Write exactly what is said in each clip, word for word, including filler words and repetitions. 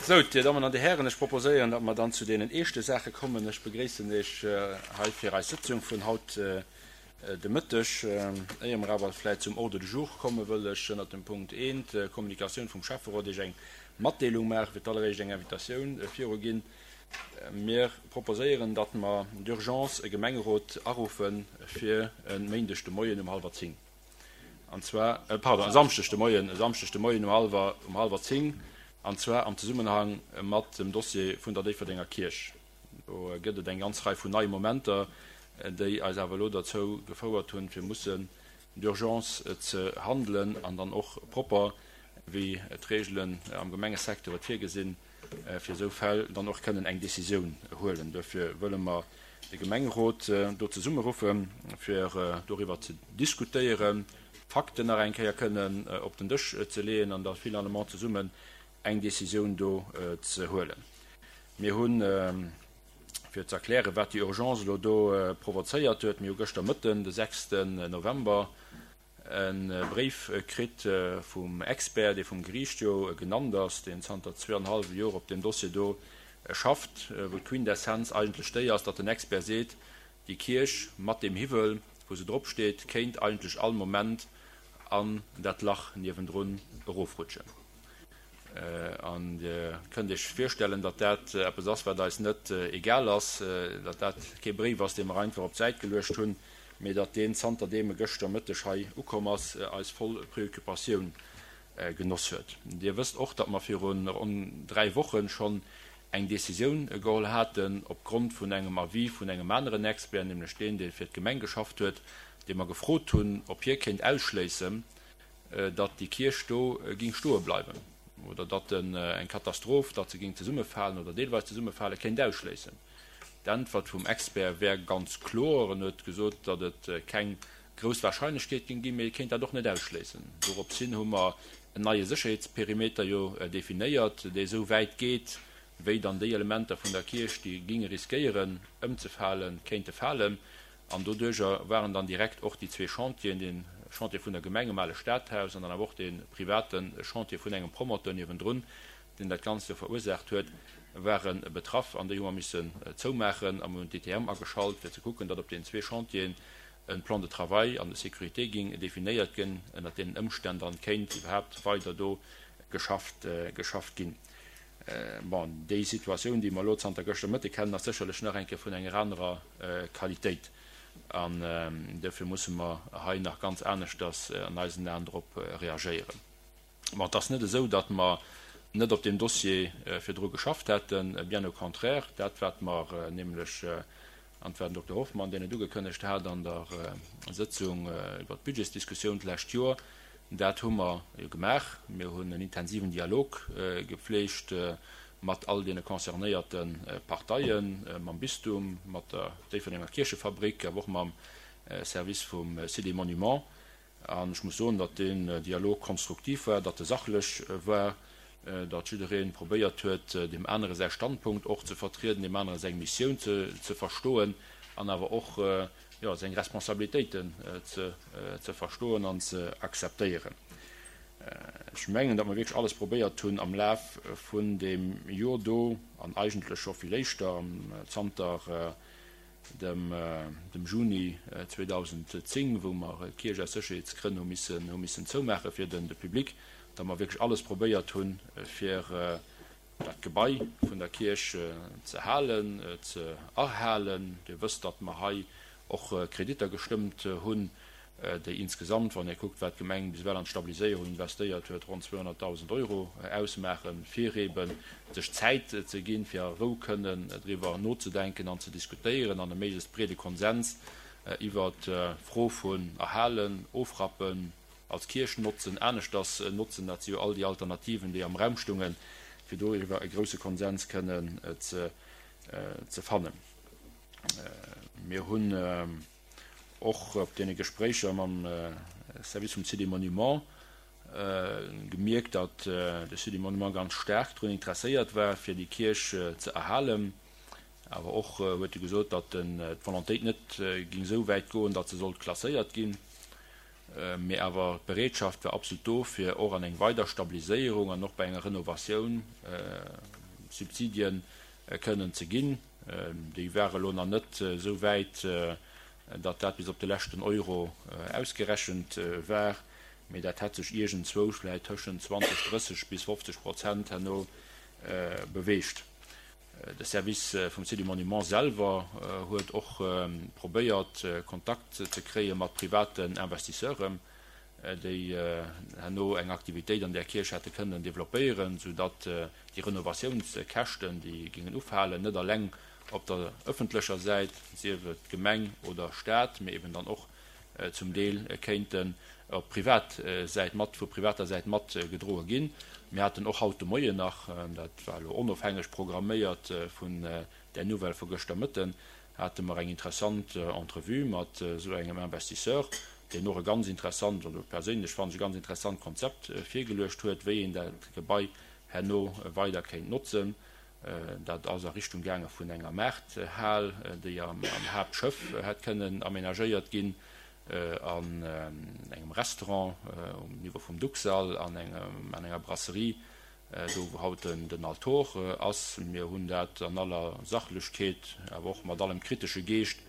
Sou, Dir Dammen an Dir Hären, ech proposéieren, datt mer dann zu deenen eeschte Saache kommen. Ech begréissen Iech hei fir eis Sëtzung vun haut de Mëtteg. Éier mer awer vläicht zum Ordre du jour kommen, wëll ech ënnert dem Punkt eent, Kommunikatioun vum Schäfferot, Iech eng Matdeelung maachen, fir d'alleréischt eng Invitatioun viruginn. Mir proposéieren, datt mer d'urgence e Gemengerot aruffe fir e Méindeg de Moien um hallwer zéng. An zwar, pardon, e Samschdeg de Moien, e Samschdeg de Moien um hallwer, um hallwer zéng, an zwar am Zesummenhang mat dem Dossier vun der Déifferdenger Kierch. Do gëtt et eng ganz Rei vun neie Momenter, déi eis awer elo derzou gefouert hunn, fir mussen d'urgence ze handelen an dann och propper, wéi d'Regelen am Gemengesecteur et virgesinn, fir esou Fäll dann och kënnen eng Décisioun huelen. Duerfir wëlle mer de Gemengerot do zesummeruffen, fir doriwwer ze diskutéieren, d'Fakten nach eng Kéier kënnen op den Dësch ze leeën an da finalement zesummen eng Décisioun do ze huelen. Mir hunn, fir ze erklären, wat déi Urgence elo do provozéiert huet, mir hu gëschter Mëtten, de sechsten November, e Bréif kritt vum Expert, dee vum Geriicht jo genannt ass, deen zanter zwee an e hallwe Joer op deem Dossier do schafft, wou d'Quintessenz eigentlech déi ass, datt den Expert seet, déi Kierch mat deem Hiwwel, wou se drop steet, kéint eigentlech all Moment an dat Lach niewendrun erofrutschen. An Dir kënnt Iech virstellen, datt dat eppes ass, wat eis net egal ass, datt dat kee Bréif ass, dee mer einfach op d'Säit geluecht hunn, mee datt deen, zanter deem e gëschter Mëtteg hei ukomm ass, eis voll Preoccupatioun genoss huet. Dir wësst och, datt mer viru ronn dräi Woche schonn eng Décisioun geholl haten, opgrond vun engem Avis vun engem aneren Expert, nämlech deen, dee fir d'Gemeng geschafft huet, dee mer gefrot hunn, ob hie kéint ausschléissen, datt déi Kierch do ging stoe bleiwen oder datt eng Katastroph, datt se ging zesummefalen oder deelweis zesummefalen, kéint ausschléissen. D'Äntwert vum Expert wär ganz kloer. En huet gesot, datt et keng grouss Wahrscheinlechkeet ging ginn, mee e kéint dat och net ausschléissen. Doropshin hu mer en neie Sécherheetsperimeter jo definéiert, dee esou wäit geet, wéi dann déi Elementer vun der Kierch, déi ginge riskéieren ëmzefalen, kéinte falen. An doduerjer waren dann direkt och déi zwee Chantieren, dee Chantier vun der Gemeng um ale Stadhaus an dann awer och dee private Chantier vun engem Promoteur niewendrun, deen dat Ganzt jo verursaacht huet, ware betraff. An déi hu mer missen zoumaachen a mir hunn d'I T M ageschalt, fir ze kucken, datt op deenen zwee Chantieren e Plan de travail an de sécurité ging definéiert ginn, ënnert deenen Ëmstänn dann kéint iwwerhaapt weider do geschafft, geschafft ginn. Bon, déi Situatioun, déi mer elo zanter gëschter Mëtte kennen, ass sécherlech nach eng Kéier vun enger anerer Qualitéit. An duerfir musse mer hei nach ganz aneschters an eisen Aen drop reagéieren. Bon, et ass net esou, datt mer net op deem Dossier virdru geschafft hätten, bien au contraire. Dat, wat mer nämlech, an et war den Dokter Hoffmann, deen et ugekënnegt hat an der Sëtzung iwwert d'Budgetsdiskussioun d'lescht Joer, dat hu mer jo gemaach. Mir hunn en intensiven Dialog gepflegt mat all deene concernéierte Parteien, mam Bistum, mat der Déifferdenger Kierchefabrik, awer och mam Service vum Site des Monuments. An ech muss soen, datt deen Dialog konstruktiv war, datt e sachlech war, datt jidderee probéiert huet, deem anere säi Standpunkt och ze vertrieden, deem anere seng Missioun ze verstoen an awer och seng Responsabilitéiten ze verstoen an ze akzeptéieren. Ech mengen, datt mer wierklech alles probéiert hunn am Laf vun deem Joer do, an eigentlech scho vill éischter, zanter dem Juni zweedausendzéng, wou mer d'Kierch aus Sécherheetsgrënn hu missen, hu missen zoumaache fir de Public, datt mer wierklech alles probéiert hunn, fir dat Gebai vun der Kierch ze halen, ze erhalen. Dir wësst, datt mer hei och Kreditter gestëmmt hunn, déi insgesamt, wann Dir kuckt, wat d'Gemeng bis ewell an d'Stabiliséierung investéiert huet, ronn zweehonnertdausend Euro ausmaachen, fir eeben sech Zäit ze ginn, fir a Rou kënnen driwwer nozedenken an ze diskutéieren an e méiglechst breede Konsens iwwert d'Fro vun erhalen, ofrappen, als Kierch notzen, aneschters notzen, dat si jo all déi Alternativen, déi am Raum stungen, fir doriwwer e grousse Konsens kënnen ze fannen. Mir hunn och op deene Gespréicher mam Service vum Site des Monuments gemierkt, datt de Site des Monuments ganz staark drun interesséiert war, fir déi Kierch ze erhalen. Awer och huet e gesot, datt d'Volontéit net ging esou wäit goen, datt se sollt klasséiert ginn. Mee awer d'Bereetschaft war absolut do, fir och an eng weider Stabiliséierung an och bei enger Renovatioun Subsidien kënnen ze ginn. Déi ware lo nach net esou wäit, datt dat bis op de leschten Euro ausgerechent war, mee dat hätt sech iergendzwousch vläicht tëschent zwanzeg, drësseg bis fofzeg Prozent herno beweegt. De Service vum Site du Monument selwer huet och probéiert, Kontakt ze kréie mat privaten Investisseuren, déi herno eng Aktivitéit an där Kierch hätte kënnen developpéieren, soudatt déi Renovatiounskäschten, déi géingen ufalen, net alleng op der ëffentlecher Säit, sief et Gemeng oder Stat, mee eben dann och zum Deel kéinten op privat Säit mat, vu privater Säit mat gedroe ginn. Mir haten och haut de Moien nach, dat war elo onofhängeg programméiert vun där Nouvelle vu gëschter Mëtten, hate mer eng interessant Entrevue mat esou engem Investisseur, deen och e ganz interessant, oder perséinlech fannen ech e ganz interessant Konzept virgeluecht huet, wéi een dat Gebai herno weider kéint notzen. Dat ass a Richtung gaange vun enger Maarthal, déi am Haaptschëff hätt kënnen amenagéiert ginn, an engem Restaurant um Niveau vum Duxall, an enger Brasserie, do wou haut den Altor ass. Mir hunn dat an aller Sachlechkeet, awer och mat allem kritesche Geescht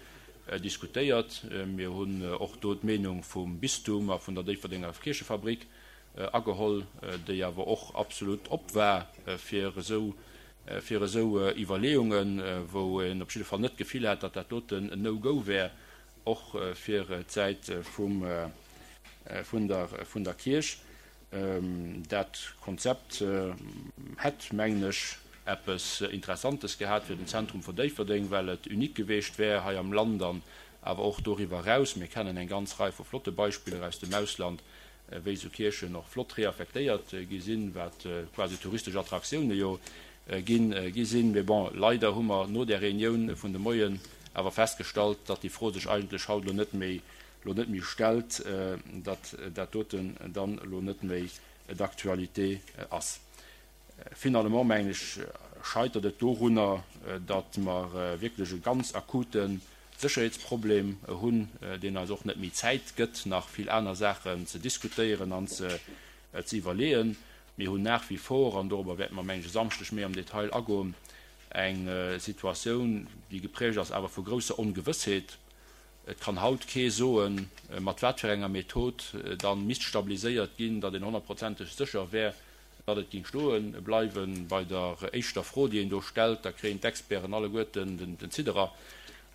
diskutéiert. Mir hunn och do d'Meenung vum Bistum a vun der Déifferdenger Kierchefabrik ageholl, déi awer och absolut op war fir esou fir esou Iwwerleeungen, wou een op jidde Fall net d'Gefill hat, datt dat doten en No-Go wär, och fir d'Säit vum vun der vun der Kierch. Dat Konzept hätt, mengen ech, eppes Interessantes gehat fir den Zentrum vun Déifferdeng, well et unique geweecht wär hei am Land an awer och doriwwer eraus. Mir kennen eng ganz Rei vu flotte Beispiller aus dem Ausland, wéi esou Kierchen och flott reaffektéiert gi sinn, wat quasi touristesch Attraktioune jo ginn gi sinn. Mee bon, leider hu mer no där Reunioun vun de Moien awer festgestallt, datt déi Fro sech eigentlech haut elo net méi elo net méi stellt, datt dat doten dann elo net méi d'actualité ass. Finalement, mengen ech, scheitert et dorunner, datt mer wierklech e ganz akute Sécherheetsproblem hunn, deen eis och net méi Zäit gëtt, nach vill aner Saachen ze diskutéieren an ze iwwerleeën. Mir hunn nach wie vor, an dorobber wäerte mer, mengen ech, e Samschdeg méi am Detail agoen, eng Situatioun, déi geprägt ass awer vu grousser Ongewëssheet. Et kann haut kee soen, mat wat fir enger Method dann misst stabiliséiert ginn, datt een honnertprozenteg sécher wär, datt et géing stoe bleiwen. Bei der éischter Fro, déi een do stellt, da kréien d'Experten alleguerten den Zidderer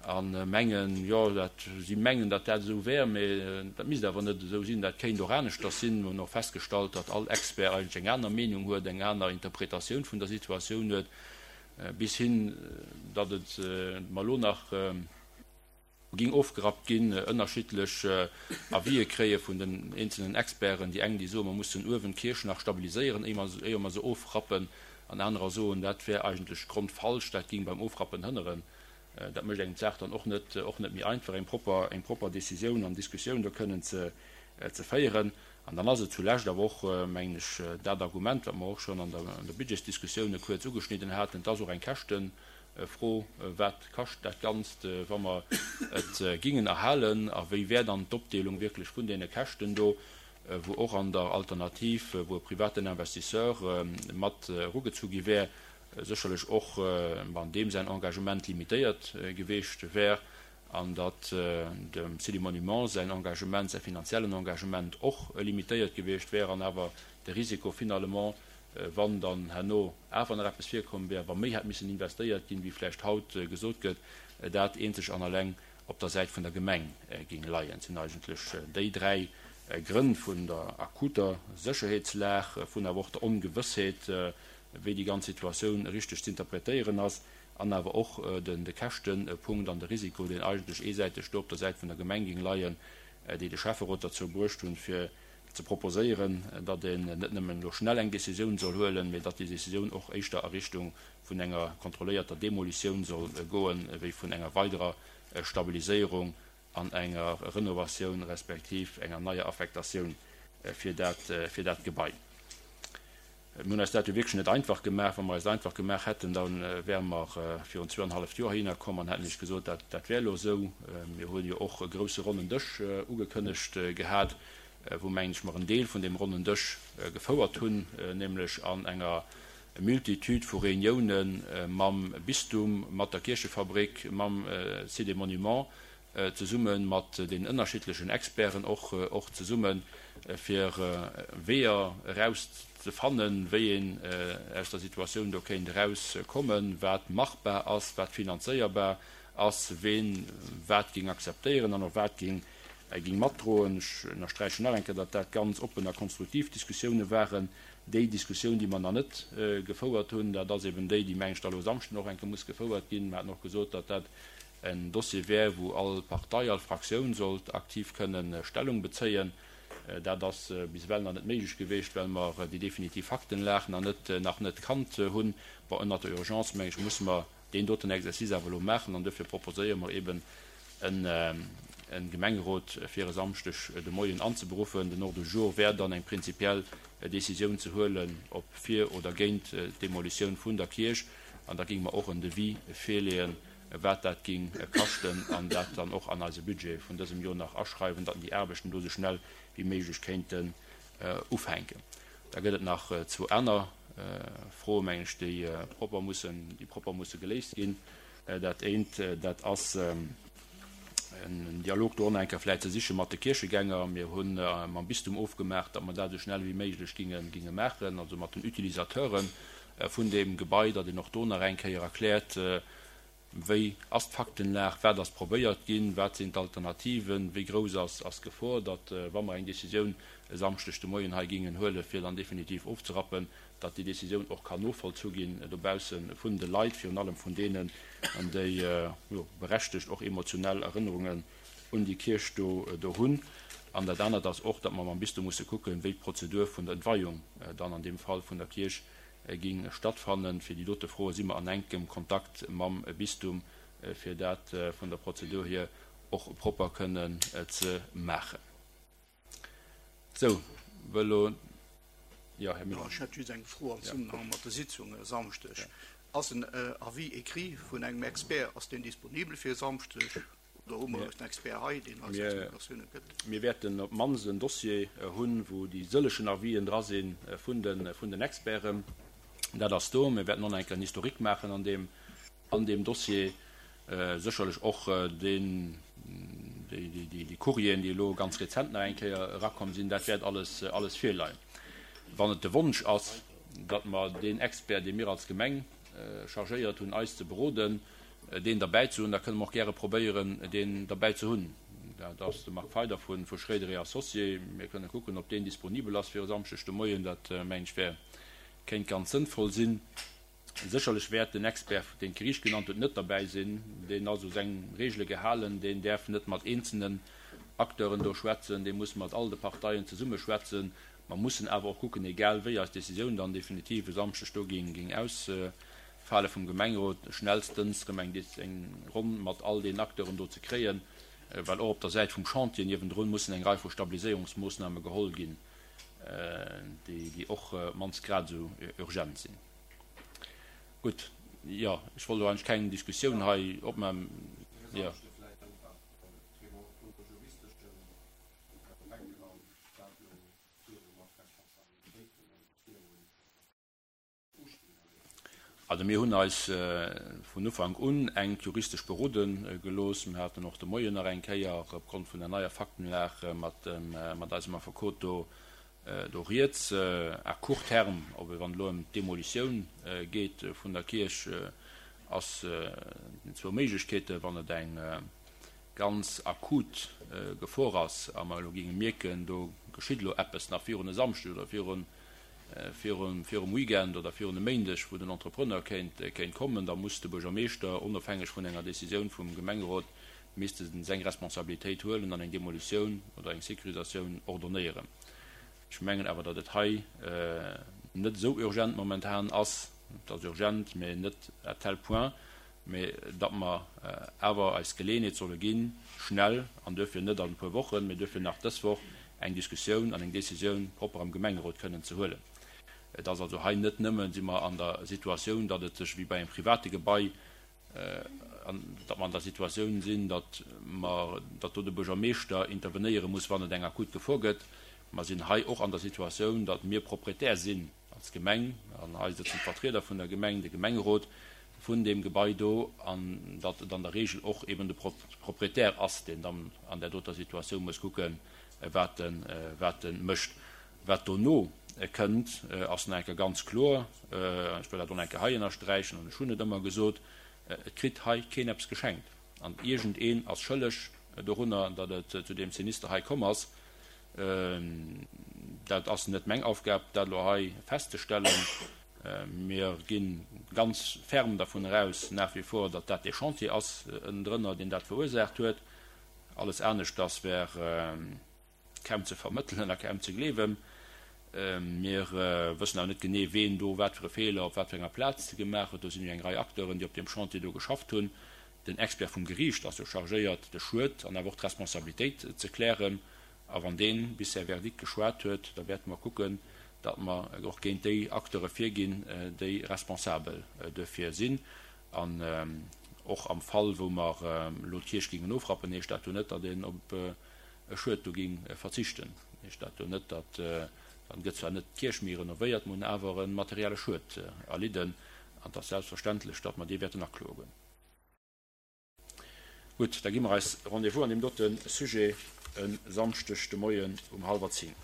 a mengen, jo, dat, si mengen, datt dat esou wär, mä dat misst awer net esou sinn, dat kéint och aneschters sinn. Mir hunn och festgestallt, datt all Expert eigentlech eng aner Meenung huet, eng aner Interpretatioun vun der Situatioun huet, bis hin, datt et mer elo nach ging ofgerappt ginn, ënnerschiddlech Avisë kréie vun den eenzelnen Experten. Déi eng, déi soen, mer mussen uewen d'Kierch nach stabiliséieren, éier mer se ofrappen, an anerer soen, dat wär eigentlech grondfalsch, dat ging beim Ofrappen hënneren. Dat mécht engem d'Saach dann och net, och net méi einfach, eng propper, eng propper Décisioun an Diskussioun do kënnen ze, ze féieren. An dann ass et zulescht awer och, mengen ech, dat Argument, wat mer och schonn an der, an der Budgetsdiskussioun kuerz ugeschnidden haten, et ass och eng Käschtenfro, Wat kascht dat Ganzt, wa mer et gingen erhalen, a wéi wär dann d'Opdeelung wierklech vun deene Käschten do, wou och an der Alternativ, wou e privaten Investisseur mat erugezu gi wär, sécherlech och an deem säin Engagement limitéiert geweecht wär, an datt dem City Monuments säin Engagement, säi finanziellen Engagement och limitéiert geweecht wär, an awer de Risiko finalement, wann dann herno awer nach eppes virkomm wär, wa méi hätt missen investéiert ginn, wéi vläicht haut gesot gëtt, dat eenzeg an alleng op der Säit vun der Gemeng géing leien. Et sinn eigentlech déi dräi Grënn vun der akuter Sécherheetslag, vun awer och der Ongewëssheet, wéi déi ganz Situatioun richteg ze interpretéieren ass, an awer och de Käschtepunkt an de Risiko, deen eigentlech eesäiteg do op der Säit vun der Gemeng géing leien, déi de Schäfferot derzou bruecht hunn, fir ze proposéieren, datt een net nëmmen elo schnell eng Décisioun soll huelen, mee datt déi Décisioun och éischter a Richtung vun enger kontrolléierter Demolitioun soll goen, wéi vun enger weiderer Stabiliséierung an enger Renovatioun respektiv enger neier Affektatioun fir dat, fir dat Gebai. Mir hunn eis dat jo wierklech net einfach gemaach. Wa mer eis et einfach gemaach hätten, da wäre mer virun zwouanenhalleft Joer heihinner komm an hätten Iech gesot, dat, dat wär elo esou. Mir hunn jo och e grouse ronnen Dësch ugekënnegt gehat, wou, mengen ech, mer en Deel vun deem ronnen Dësch gefouert hunn, nämlech an enger e Multitude vu Reuniounen mam Bistum, mat der Kierchefabrik, mam Site des Monuments, zesumme mat den ënnerschiddlechen Experten och, och zesummen, fir Weeër erauszefannen, wéi een aus der Situatioun do kéint erauskommen, wat machbar ass, wat finanzéierbar ass, ween wat géing akzeptéieren an och wat géing, géing matdroen. Ech ënnersträichen nach eng Kéier, datt dat ganz oppen a konstruktiv Diskussioune waren. Déi Diskussioun, déi mer nach net gefouert hunn, dat ass eben déi, déi, meng ech, da elo e Samschden och eng Kéier muss gefouert ginn. Mer haten och gesot, datt dat en Dossier wär, wou all Partei, all Fraktioun sollt aktiv kënnen Stellung bezéien. Dat ass bis ewell nach net méiglech geweecht, well mer déi definitiv Faktenlag nach net, nach net kannt hunn. Bon, ënnert der Urgence, meng ech, musse mer deen doten Exercice awer elo maachen an duerfir proposéiere mer eben en Gemengerot fir e Samschdeg de Moien anzeberuffen. Den Ordre du jour wär dann eng prinzipiell Décisioun ze huelen, ob fir oder géint d'Demolitioun vun der Kierch. An da géinge mer och en Devis virleeën, wat dat géing kaschten, an dat dann och an eise Budget vun dësem Joer nach aschreiwen, datt déi Aarbechten do esou schnell wéi méiglech kéinten ufänken. Da gëtt et nach zwou aner Froen, mengen ech, déi propper mussen, déi propper musse geléist ginn. Dat eent, dat ass en Dialog do och nach eng Kéier vläicht ze siche mat de Kierchegänger. Mir hu mam Bistum ofgemaach, datt mer dat esou schnell wéi méiglech ginge, ginge maachen, also mat den Utilisateure vun deem Gebai, datt een och do nach eng Kéier erkläert, wéi ass d'Faktenlag, wat ass probéiert ginn, wat sinn d'Alternativen, wéi grouss ass ass d'Gefor, datt, wa mer eng Décisioun e Samschdeg de Moien hei gingen huelen, fir dann definitiv ofzerappen, datt déi Décisioun och kann novollzu ginn dobausse vun de Leit, virun allem vun deenen, déi, jo, berechtegt och emotionell Erënnerungen un déi Kierch do do hunn. An dat anert ass och, datt mer mam Bistum musse kucken, wéi d'Prozedur vun der Entweihung dann an deem Fall vun der Kierch ging stattfannen. Fir déi dote Froe si mer an enkem Kontakt mam Bistum, fir dat vun der Prozedur hier och propper kënnen ze maachen. Sou, wëll elo, jo, Här Müller. Ech hätt just eng Fro am Zesummenhang mat der Sitzung e Samschdeg. Ass en Avis écrit vun engem Expert, ass deen disponibel fir e Samschdeg? Oder hu mer en Expert hei, deen eis Explikatioune gëtt? Mir wäerten op d'mannst en Dossier hunn, wou déi sëllegen Avisen dra si vun den Experten. Dat ass do. Mir wäerten och nach eng Kéier en Historique maachen an deem, an deem Dossier. Sécherlech och deen, déi, déi, déi Courrieren, déi elo ganz rezent nach eng Kéier erakomm sinn. Dat wäert alles, alles virleien. Wann et de Wonsch ass, datt mer deen Expert, dee mir als Gemeng chargéiert hunn, eis ze beroden, deen derbäi ze hunn, da kënne mer och gäre probéieren, deen derbäi ze hunn. Dat ass de Marc Feider vu Schroeder et Associés. Mir kënne kucken, ob deen disponibel ass fir e Samschdeg de Moien. Dat, mengen ech, wär, kéint ganz sënnvoll sinn. Sécherlech wäert den Expert, deen d'Geriicht genannt huet, net derbäi sinn. Deen ass u seng Regele gehalen. Deen däerf net mat eenzelnen Acteuren do schwätzen. Dee muss mat all de Parteien zesumme schwätzen. Mer mussen awer och kucken, egal wéi eis Décisioun dann definitiv e Samschdeg do géing ausfale vum Gemengerot, schnellstens erëm eng eng Ronn mat all deenen Acteuren do ze kréien, well och op der Säit vum Chantier niewendrun mussen eng Rei vu Stabiliséierungsmoossname geholl ginn, déi och op d'mannst grad esou urgent sinn. Gutt, jo, ech wollt elo eigentlech keng Diskussioun hei opmaachen. Jo. Also mir hunn eis vun Ufank un enk juristesch berode gelooss. Mir haten och de Moien nach eng Kéier opgrond vun der neier Faktenlag mat mat eisem Affekot do do rieds. À court terme, ob et wann et elo ëm d'Demolitioun geet vun der Kierch, ass den zwou Méiglechkeeten, wann et eng ganz akut Gefor ass a mer elo géinge mierken, do geschitt elo eppes nach virun e Samschdeg oder virun virum Weekend oder virun e Méindeg, wou den Entrepreneur kéint kéint kommen, da muss de Buergermeeschter, onofhängeg vun enger Décisioun vum Gemengerot, misste seng Responsabilitéit huelen an eng Demolitioun oder eng Sécurisatioun ordonnéieren. Ech mengen awer, datt et hei net esou urgent momentan ass. Et ass urgent, mä net à tel point, mä datt mer awer eis d'Geleeënheet solle ginn, schnell, an duerfir net an e puer Wochen, mä duerfir nach dës Woch, eng Diskussioun an eng Décisioun propper am Gemengerot kënnen ze huelen. Et ass also hei net nëmmen, si mer an der Situatioun, datt et sech wéi bei engem private Gebai, datt mer an der Situatioun sinn, datt mer, datt do de Buergermeeschter intervenéiere muss, wann et eng akut Gefor gëtt. Mer sinn hei och an der Situatioun, datt mir Proprietär sinn, als Gemeng, an hei sëtzen d'Vertrieder vun der Gemeng, de Gemengerot, vun deem Gebai do, an datt et an der Regel och eben de Proprietär ass, deen dann an där doter Situatioun muss kucken, wat en, wat e mécht. Wat dono kënnt, ass nach eng Kéier ganz kloer, ech wëll dat och nach eng Kéier hei ënnersträichen, an ech hunn et ëmmer gesot, Et kritt hei keen eppes geschenkt an iergendeen ass schëlleg dorunner, datt et zu deem Sinister hei komm ass. Dat ass net meng Aufgab, dat elo hei festzestellen. Mir gi ganz ferm dervun eraus, nach wie vor, datt dat dee Chantier ass ënnendrënner, deen dat verursaacht huet. Alles aneschters wär kaum ze vermëttelen a kaum ze gleewen. Mir wëssen awer net genee, ween do wat fir e Feeler op wat fir enger Plaz gemaach huet. Do sinn jo eng Rei Acteuren, déi op deem Chantier do geschafft hunn. Den Expert vum Geriicht ass jo chargéiert, de Schued an awer och d'Responsabilitéit ze klären. A wann dee bis säi Verdikt geschwat huet, da wäerte mer kucken, datt mer och géint déi Acteure virginn, déi responsabel duerfir sinn. An och am Fall, wou mer elo d'Kierch géingen ofrappen, heescht dat jo net, datt een op e Schued do géing verzichten. Heescht dat jo net, datt, dann gëtt zwar net d'Kierch méi renovéiert, mer hunn awer e materielle Schued erlidden. An et ass selbstverständlech, datt mer dee wäerten akloen. Gutt, da gi mer eis Rendez-vous an deem dote Sujet e Samschdeg de Moien um hallwer zéng.